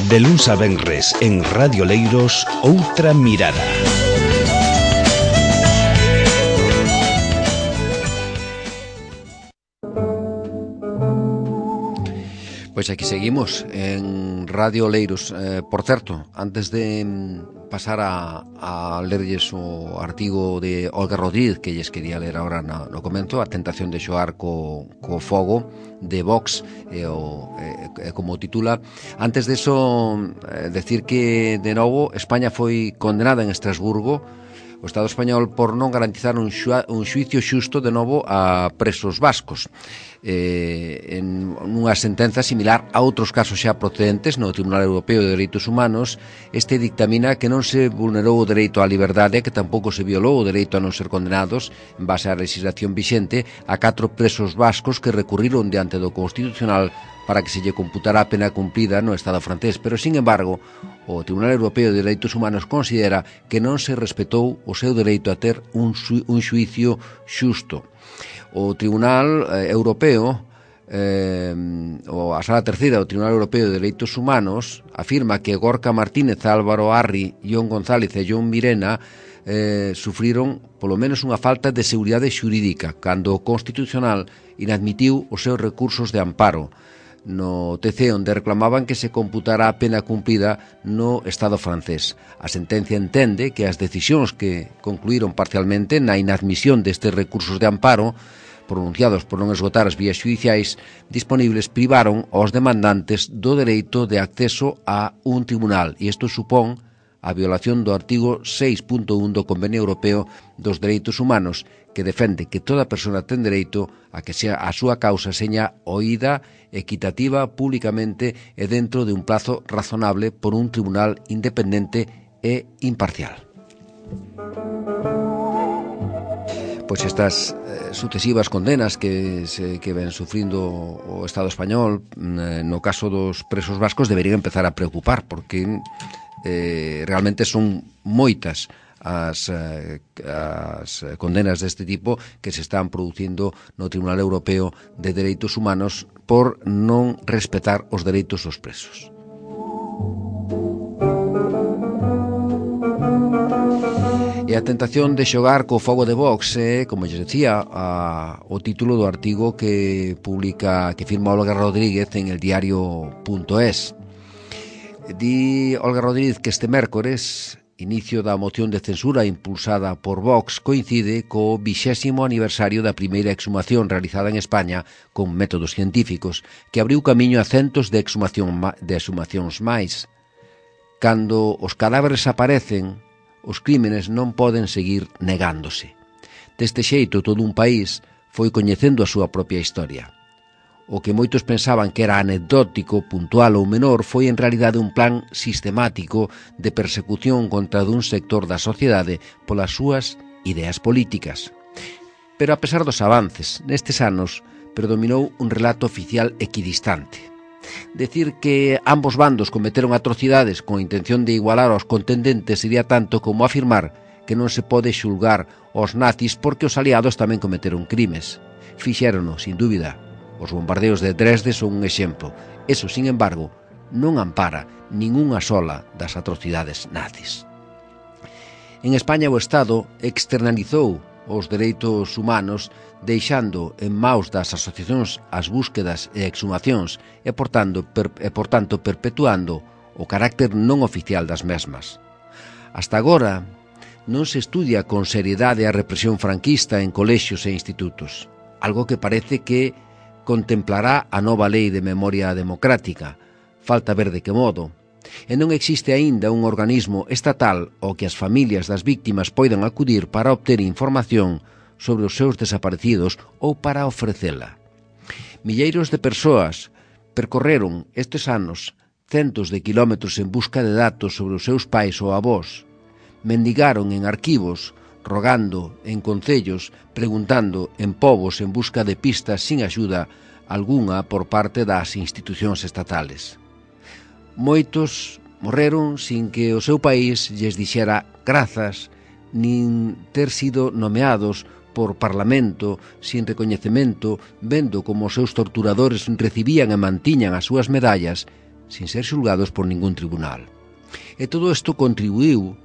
De luns a venres en Radio Leiros, Outra Mirada. Pois aquí seguimos en Radio Leiros. Por certo, antes de pasar a lerlles o artigo de Olga Rodríguez que lles quería ler agora no comento, a tentación de xogar co fogo de Vox, como titula. Antes de eso, decir que de novo España foi condenada en Estrasburgo, o Estado español, por non garantizar un xuicio xusto de novo a presos vascos, en unha sentenza similar a outros casos xa procedentes no Tribunal Europeo de Dereitos Humanos. Este dictamina que non se vulnerou o dereito á liberdade, que tampouco se violou o dereito a non ser condenados en base á legislación vixente a 4 presos vascos que recurriron diante do Constitucional para que se lle computara a pena cumplida no Estado francés, pero, sin embargo, o Tribunal Europeo de Dereitos Humanos considera que non se respetou o seu dereito a ter un xuicio xusto. O Tribunal Europeo, a Sala Terceira do Tribunal Europeo de Dereitos Humanos, afirma que Gorka Martínez, Álvaro Arri, Ion González e John Mirena sufriron polo menos unha falta de seguridade xurídica cando o Constitucional inadmitiu os seus recursos de amparo no TC, onde reclamaban que se computara a pena cumplida no Estado francés. A sentencia entende que as decisións que concluíron parcialmente na inadmisión destes recursos de amparo pronunciados por non esgotar as vías judiciais disponibles privaron aos demandantes do dereito de acceso a un tribunal, e isto supón a violación do artigo 6.1 do Convenio Europeo dos Dereitos Humanos, que defende que toda persona ten dereito a que a súa causa seña oída, equitativa, públicamente e dentro de un plazo razonable por un tribunal independente e imparcial. Pois estas sucesivas condenas que ven sufrindo o Estado español no caso dos presos vascos deberían empezar a preocupar, porque realmente son moitas as condenas deste tipo que se están producindo no Tribunal Europeo de Dereitos Humanos por non respetar os dereitos dos presos. E a tentación de xogar co fogo de Vox é, como lles decía, o título do artigo que firma Olga Rodríguez en el diario.es. Di Olga Rodríguez que este mércores, inicio da moción de censura impulsada por Vox, coincide co 20º aniversario da primeira exhumación realizada en España con métodos científicos, que abriu camiño a centos de exhumacións máis. Cando os cadáveres aparecen, os crímenes non poden seguir negándose. Deste xeito, todo un país foi coñecendo a súa propia historia. O que moitos pensaban que era anecdótico, puntual ou menor, foi en realidade un plan sistemático de persecución contra dun sector da sociedade polas súas ideas políticas. Pero a pesar dos avances, nestes anos predominou un relato oficial equidistante. Decir que ambos bandos cometeron atrocidades con intención de igualar aos contendentes sería tanto como afirmar que non se pode xulgar aos nazis porque os aliados tamén cometeron crimes. Fixérono, sin dúbida. Os bombardeos de Dresde son un exemplo. Eso, sin embargo, non ampara ningunha sola das atrocidades nazis. En España o Estado externalizou os dereitos humanos deixando en maus das asociacións as búsquedas e exhumacións e, por tanto, perpetuando o carácter non oficial das mesmas. Hasta agora, non se estudia con seriedade a represión franquista en colexios e institutos, algo que parece que contemplará a nova lei de memoria democrática. Falta ver de que modo. E non existe aínda un organismo estatal ao que as familias das víctimas poidan acudir para obter información sobre os seus desaparecidos ou para ofrecela. Milleiros de persoas percorreron estes anos centos de quilómetros en busca de datos sobre os seus pais ou avós. Mendigaron en arquivos, rogando en concellos, preguntando en pobos en busca de pistas sin axuda algunha por parte das institucións estatales. Moitos morreron sin que o seu país lles dixera grazas, nin ter sido nomeados por parlamento, sin recoñecemento, vendo como os seus torturadores recibían e mantiñan as súas medallas, sin ser xulgados por ningún tribunal. E todo isto contribuiu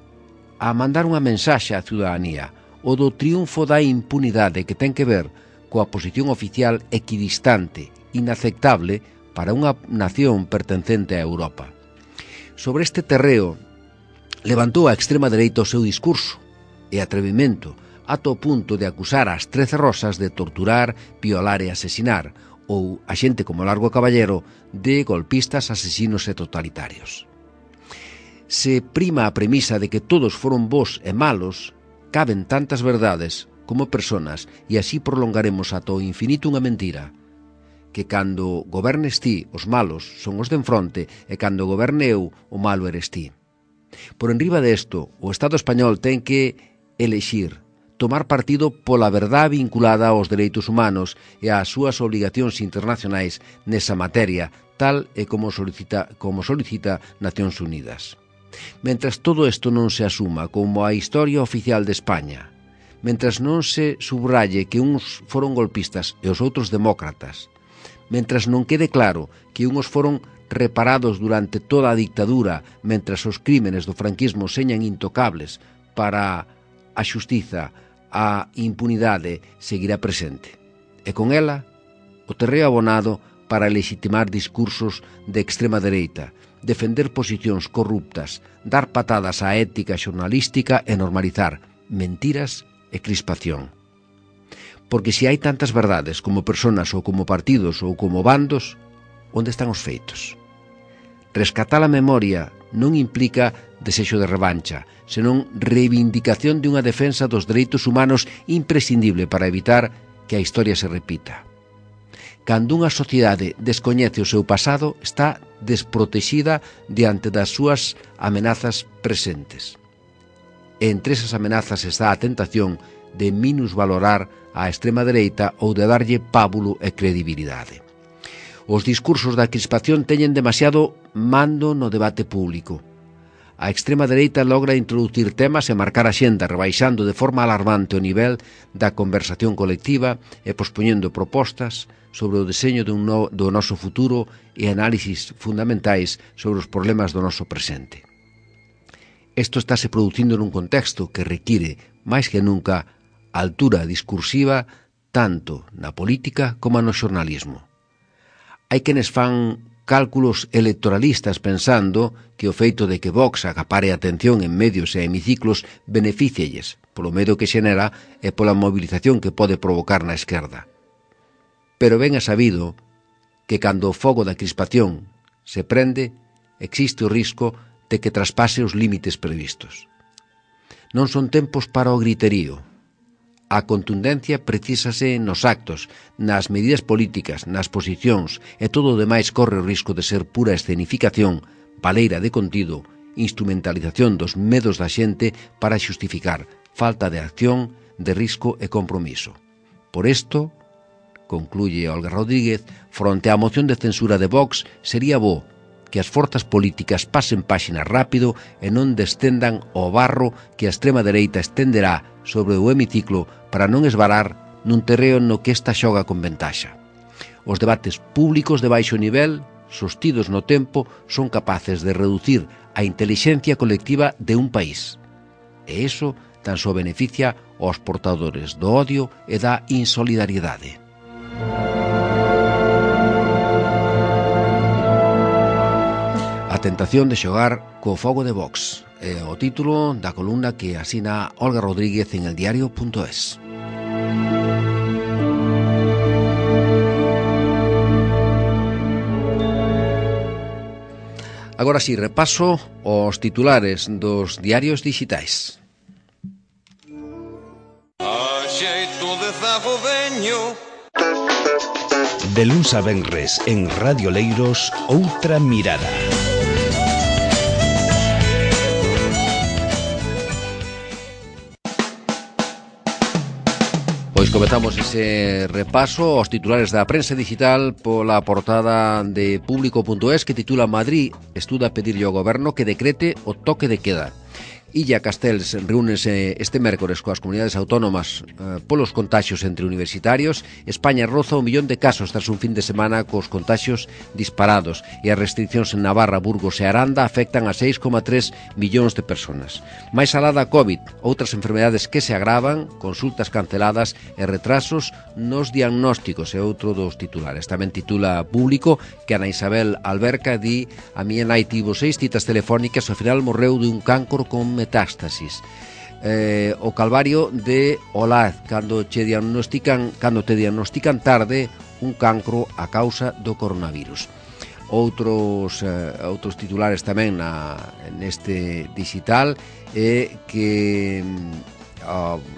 a mandar unha mensaxe á ciudadanía, o do triunfo da impunidade que ten que ver coa posición oficial equidistante, inaceptable para unha nación pertencente a Europa. Sobre este terreo levantou a extrema dereita o seu discurso e atrevimento ata o punto de acusar as 13 rosas de torturar, violar e asesinar, ou a xente como Largo Caballero de golpistas, asesinos e totalitarios. Se prima a premisa de que todos foron bons e malos, caben tantas verdades como personas e así prolongaremos ata o infinito unha mentira, que cando gobernes ti, os malos son os de enfronte, e cando goberne eu, o malo eres ti. Por enriba desto, o Estado español ten que elexir, tomar partido pola verdade vinculada aos dereitos humanos e ás súas obligacións internacionais nesa materia, tal e como solicita Nacións Unidas. Mentras todo isto non se asuma como a historia oficial de España, mentras non se subralle que uns foron golpistas e os outros demócratas, mentras non quede claro que unhos foron reparados durante toda a dictadura, mentras os crímenes do franquismo señan intocables, para a xustiza, a impunidade seguirá presente. E con ela, o terreo abonado para legitimar discursos de extrema dereita, defender posicións corruptas, dar patadas á ética xornalística e normalizar mentiras e crispación. Porque se hai tantas verdades como personas ou como partidos ou como bandos, onde están os feitos? Rescatar a memoria non implica desexo de revancha, senón reivindicación de unha defensa dos dereitos humanos imprescindible para evitar que a historia se repita. Cando unha sociedade descoñece o seu pasado, está desprotexida diante das súas amenazas presentes. E entre esas amenazas está a tentación de minusvalorar a extrema dereita ou de darlle pábulo e credibilidade. Os discursos da crispación teñen demasiado mando no debate público. A extrema dereita logra introducir temas e marcar a xenda, rebaixando de forma alarmante o nivel da conversación colectiva e pospoñendo propostas sobre o deseño do noso futuro e análisis fundamentais sobre os problemas do noso presente. Isto estáse producindo nun contexto que require, máis que nunca, altura discursiva tanto na política como no xornalismo. Hai quenes fan cálculos electoralistas pensando que o feito de que Vox acapare atención en medios e hemiciclos beneficialles polo medo que xenera e pola movilización que pode provocar na esquerda. Pero ben é sabido que cando o fogo da crispación se prende, existe o risco de que traspase os límites previstos. Non son tempos para o griterío. A contundencia precisase nos actos, nas medidas políticas, nas posicións, e todo o demais corre o risco de ser pura escenificación, baleira de contido, instrumentalización dos medos da xente para xustificar falta de acción, de risco e compromiso. Por isto, concluye Olga Rodríguez, fronte á moción de censura de Vox, sería bo que as forzas políticas pasen páxina rápido e non descendan ao barro que a extrema dereita estenderá sobre o hemiciclo para non esvarar nun terreo no que esta xoga con ventaxa. Os debates públicos de baixo nivel, sostidos no tempo, son capaces de reducir a intelixencia colectiva de un país. E iso tan só beneficia aos portadores do odio e da insolidariedade. A tentación de xogar co fogo de Vox é o título da columna que asina Olga Rodríguez en eldiario.es. Agora si, repaso os titulares dos diarios digitais. A xeito de zago veño. De luns a venres en Radio Leiros, outra mirada. Pois comezamos ese repaso aos titulares da prensa digital pola portada de Público.es que titula Madrid estuda pedirlle ao goberno que decrete o toque de queda. Illa Castells reúnese este mércores coas comunidades autónomas polos contaxios entre universitarios. España roza 1 millón de casos tras un fin de semana cos contaxios disparados e as restriccións en Navarra, Burgos e Aranda afectan a 6,3 millóns de personas. Máis alá da COVID, outras enfermedades que se agravan, consultas canceladas e retrasos nos diagnósticos é outro dos titulares. Tamén titula Público que Ana Isabel Alberca di: a miña nai tivo 6 citas telefónicas e ao final morreu dun cancro con metástasis. O calvario de Olaz cando te diagnostican tarde un cancro a causa do coronavirus. Outros titulares tamén neste digital que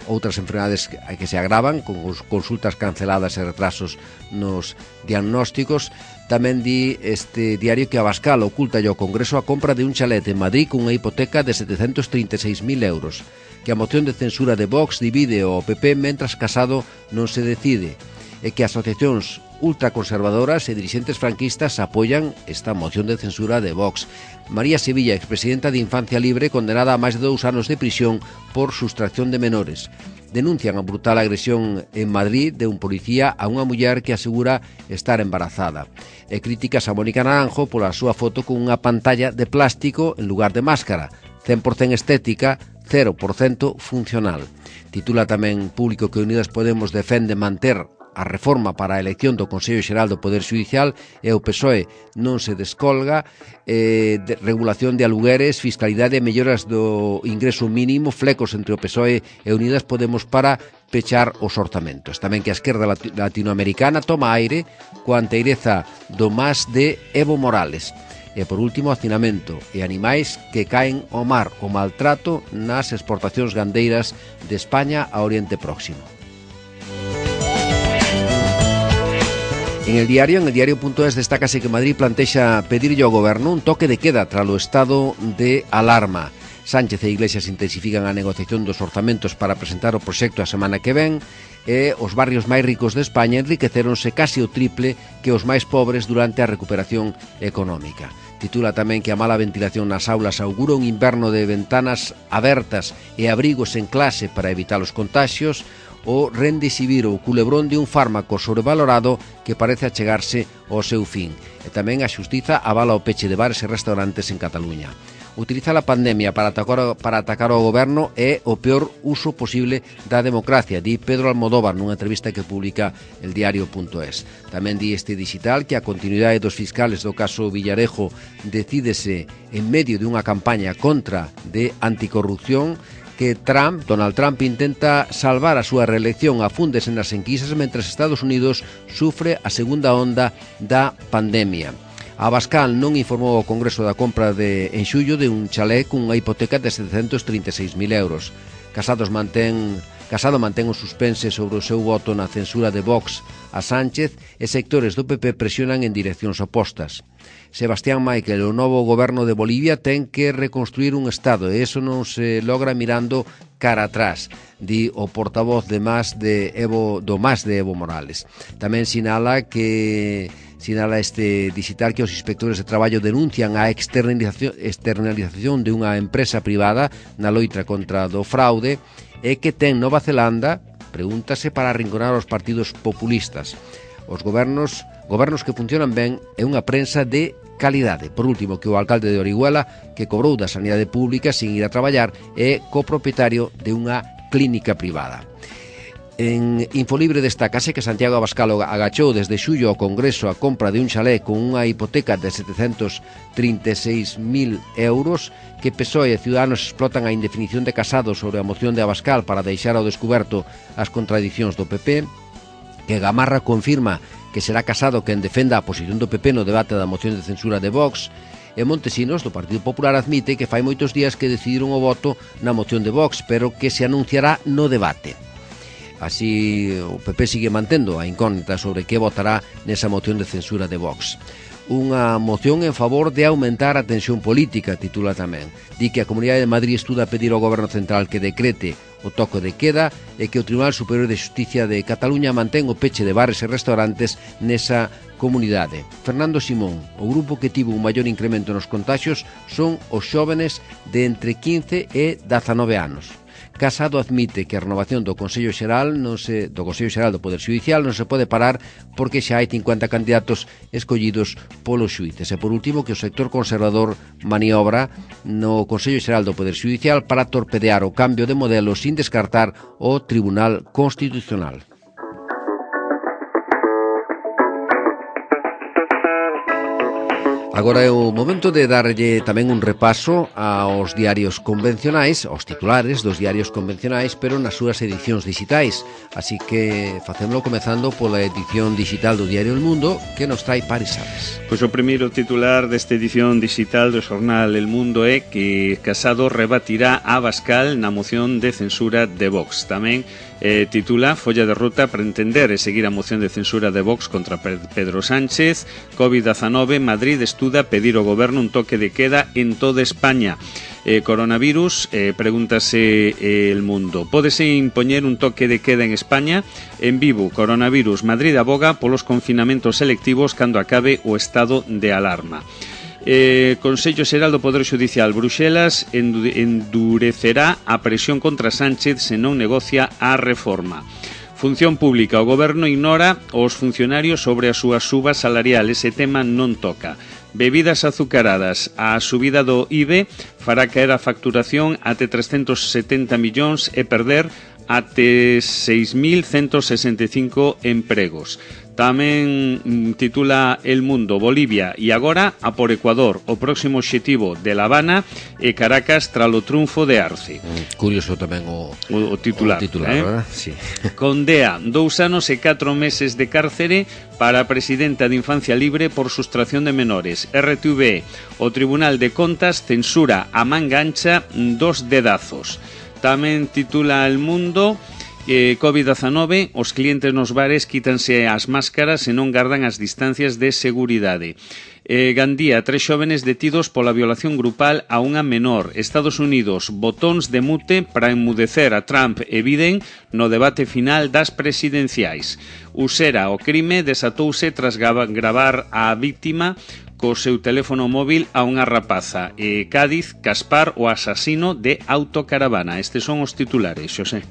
outras enfermedades que se agravan con consultas canceladas e retrasos nos diagnósticos. Tamén di este diario que Abascal oculta ao Congreso a compra de un chalet en Madrid cunha hipoteca de 736.000 euros, que a moción de censura de Vox divide o PP mentras Casado non se decide, e que asociacións ultraconservadoras e dirixentes franquistas apoian esta moción de censura de Vox. María Sevilla, expresidenta de Infancia Libre, condenada a máis de 2 anos de prisión por sustracción de menores. Denuncian a brutal agresión en Madrid de un policía a unha muller que asegura estar embarazada. E críticas a Mónica Naranjo pola súa foto con unha pantalla de plástico en lugar de máscara, 100% estética, 0% funcional. Titula tamén Público que Unidas Podemos defende manter a reforma para a elección do Consello Xeral do Poder Xudicial e o PSOE non se descolga. De regulación de alugueres, fiscalidade e melloras do ingreso mínimo, flecos entre o PSOE e Unidas Podemos para pechar os orzamentos. Tamén que a esquerda latinoamericana toma aire coa anteireza do MAS de Evo Morales. E por último, hacinamento e animais que caen ao mar, o maltrato nas exportacións gandeiras de España a Oriente Próximo. En el diario.es destácase que Madrid plantexa pedirlle ao goberno un toque de queda tralo estado de alarma. Sánchez e Iglesias intensifican a negociación dos orzamentos para presentar o proxecto a semana que ven e os barrios máis ricos de España enriqueceronse casi o triple que os máis pobres durante a recuperación económica. Titula tamén que a mala ventilación nas aulas augura un inverno de ventanas abertas e abrigos en clase para evitar os contaxios. O rendesivir o culebrón de un fármaco sobrevalorado que parece achegarse ao seu fin. E tamén a xustiza avala o peche de bares e restaurantes en Cataluña. Utilizar a pandemia para atacar ao goberno é o peor uso posible da democracia, di Pedro Almodóvar nunha entrevista que publica el diario.es. Tamén di este digital que a continuidade dos fiscales do caso Villarejo decídese en medio dunha campaña contra de anticorrupción, que Donald Trump intenta salvar a súa reelección, afúndese nas enquisas mentras Estados Unidos sufre a segunda onda da pandemia. Abascal non informou ao Congreso da compra en xullo de un chalé cunha hipoteca de 736.000 euros. Casado mantén o suspense sobre o seu voto na censura de Vox a Sánchez e sectores do PP presionan en direccións opostas. Sebastián Michel, o novo goberno de Bolivia, ten que reconstruir un Estado e iso non se logra mirando cara atrás, di o portavoz do MAS de Evo Morales. Tamén sinala este digital que os inspectores de traballo denuncian a externalización de unha empresa privada na loita contra do fraude e que ten Nova Zelanda, pregúntase, para arrinconar os partidos populistas. Os gobernos que funcionan ben é unha prensa de calidade. Por último, que o alcalde de Orihuela, que cobrou da sanidade pública sin ir a traballar, é copropietario de unha clínica privada. En Infolibre destácase que Santiago Abascal agachou desde xullo ao Congreso a compra de un chalé con unha hipoteca de 736.000 euros, que PSOE e Ciudadanos explotan a indefinición de Casado sobre a moción de Abascal para deixar ao descuberto as contradicións do PP, que Gamarra confirma que será Casado quen defenda a posición do PP no debate da moción de censura de Vox, e Montesinos, do Partido Popular, admite que fai moitos días que decidiron o voto na moción de Vox, pero que se anunciará no debate. Así, o PP sigue mantendo a incógnita sobre que votará nesa moción de censura de Vox. unha moción en favor de aumentar a tensión política, titula tamén. Di que a Comunidade de Madrid estuda a pedir ao Goberno Central que decrete o toque de queda e que o Tribunal Superior de Xusticia de Cataluña mantén o peche de bares e restaurantes nesa comunidade. Fernando Simón, o grupo que tivo un maior incremento nos contaxios son os xóvenes de entre 15 e 19 anos. Casado admite que a renovación do Consello Xeral do Poder Xudicial non se pode parar porque xa hai 50 candidatos escollidos polos xuíces. E por último, que o sector conservador maniobra no Consello Xeral do Poder Xudicial para torpedear o cambio de modelo sin descartar o Tribunal Constitucional. Agora é o momento de darlle tamén un repaso aos diarios convencionais, aos titulares dos diarios convencionais, pero nas súas edicións digitais. Así que facémolo comezando pola edición digital do diario El Mundo, que nos trae Paris Salas. Pois o primeiro titular desta edición digital do xornal El Mundo é que Casado rebatirá a Abascal na moción de censura de Vox. Tamén titula Folla de ruta para entender e seguir a moción de censura de Vox contra Pedro Sánchez. COVID-19, Madrid estuda pedir ao goberno un toque de queda en toda España. Coronavirus, pregúntase El Mundo. Pódese impoñer un toque de queda en España? En Vivo, coronavirus, Madrid aboga polos confinamentos selectivos cando acabe o estado de alarma. Consello Xeral do Poder Xudicial, Bruxelas endurecerá a presión contra Sánchez se non negocia a reforma. Función Pública, o goberno ignora os funcionarios sobre a súa suba salarial, ese tema non toca. Bebidas azucaradas, a subida do IBE fará caer a facturación até 370 millóns e perder até 6.165 empregos. Tamén titula El Mundo, Bolivia e agora a por Ecuador, o próximo obxectivo de La Habana e Caracas tralo triunfo de Arce. Curioso tamén o titular, ¿verdad? Sí. Condea 2 anos e 4 meses de cárcere para a presidenta de Infancia Libre por sustracción de menores. RTV, o Tribunal de Contas censura a manga ancha 2 dedazos. Tamén titula El Mundo, COVID-19, os clientes nos bares quítanse as máscaras e non gardan as distancias de seguridade. Gandía, 3 xóvenes detidos pola violación grupal a unha menor. Estados Unidos, botóns de mute para enmudecer a Trump e Biden no debate final das presidenciais. Usera, o crime desatouse tras gravar a víctima co seu teléfono móvil a unha rapaza. Cádiz, Caspar, o asasino de autocaravana. Estes son os titulares, Xosé.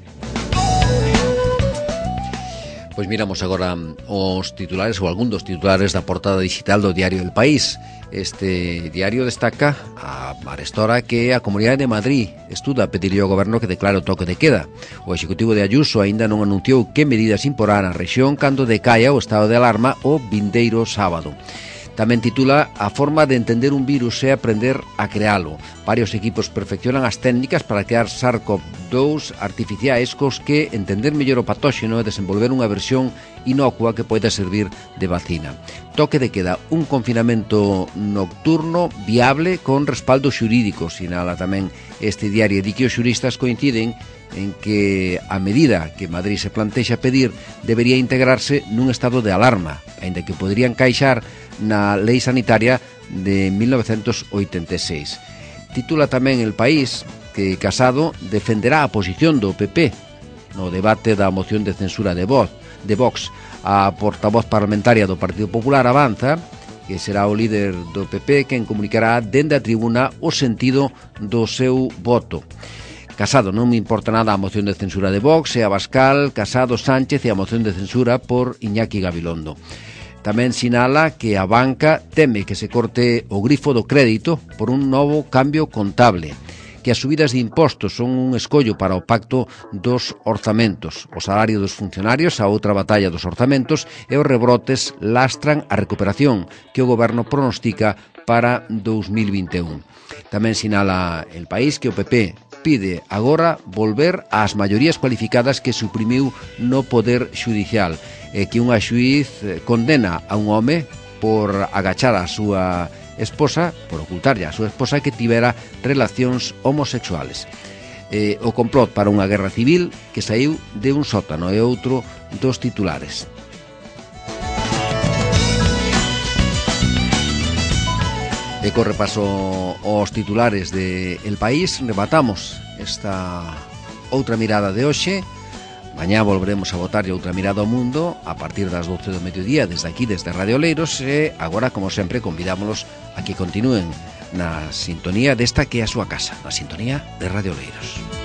Pois miramos agora os titulares ou algún dos titulares da portada digital do diario El País. Este diario destaca a arestora que a Comunidade de Madrid estuda a pedirlle ao goberno que declare o toque de queda. O executivo de Ayuso aínda non anunciou que medidas imporá na rexión cando decaia o estado de alarma o vindeiro sábado. Tamén titula A forma de entender un virus é aprender a crealo. Varios equipos perfeccionan as técnicas para crear SARS-CoV-2 artificiais cos que entender mellor o patóxeno e desenvolver unha versión inocua que poida servir de vacina. Toque de queda, un confinamento nocturno viable con respaldo xurídico, sinala tamén este diario. Di que os xuristas coinciden en que a medida que Madrid se plantexa pedir debería integrarse nun estado de alarma, aínda que podría encaixar na Lei Sanitaria de 1986. Titula tamén El País que Casado defenderá a posición do PP no debate da moción de censura de Vox. A portavoz parlamentaria do Partido Popular avanza que será o líder do PP quen comunicará dende a tribuna o sentido do seu voto. Casado, non me importa nada a moción de censura de Vox e Abascal, Casado, Sánchez e a moción de censura por Iñaki Gabilondo. Tamén sinala que a banca teme que se corte o grifo do crédito por un novo cambio contable, que as subidas de impostos son un escollo para o pacto dos orzamentos, o salario dos funcionarios, a outra batalla dos orzamentos e os rebrotes lastran a recuperación que o goberno pronostica para 2021. Tamén sinala El País que o PP pide agora volver ás maiorías cualificadas que suprimiu no Poder Xudicial e que unha xuiz condena a un home por agachar a súa esposa, por ocultarlle a súa esposa que tivera relacións homosexuales. O complot para unha guerra civil que saiu de un sótano é outro dos titulares. E co repaso aos titulares de El País rematamos esta outra mirada de hoxe. Mañá volveremos a botarlle outra mirada ao mundo a partir das 12 do mediodía desde aquí, desde Radio Oleiros, e agora, como sempre, convidámonos a que continúen na sintonía desta que é a súa casa, na sintonía de Radio Oleiros.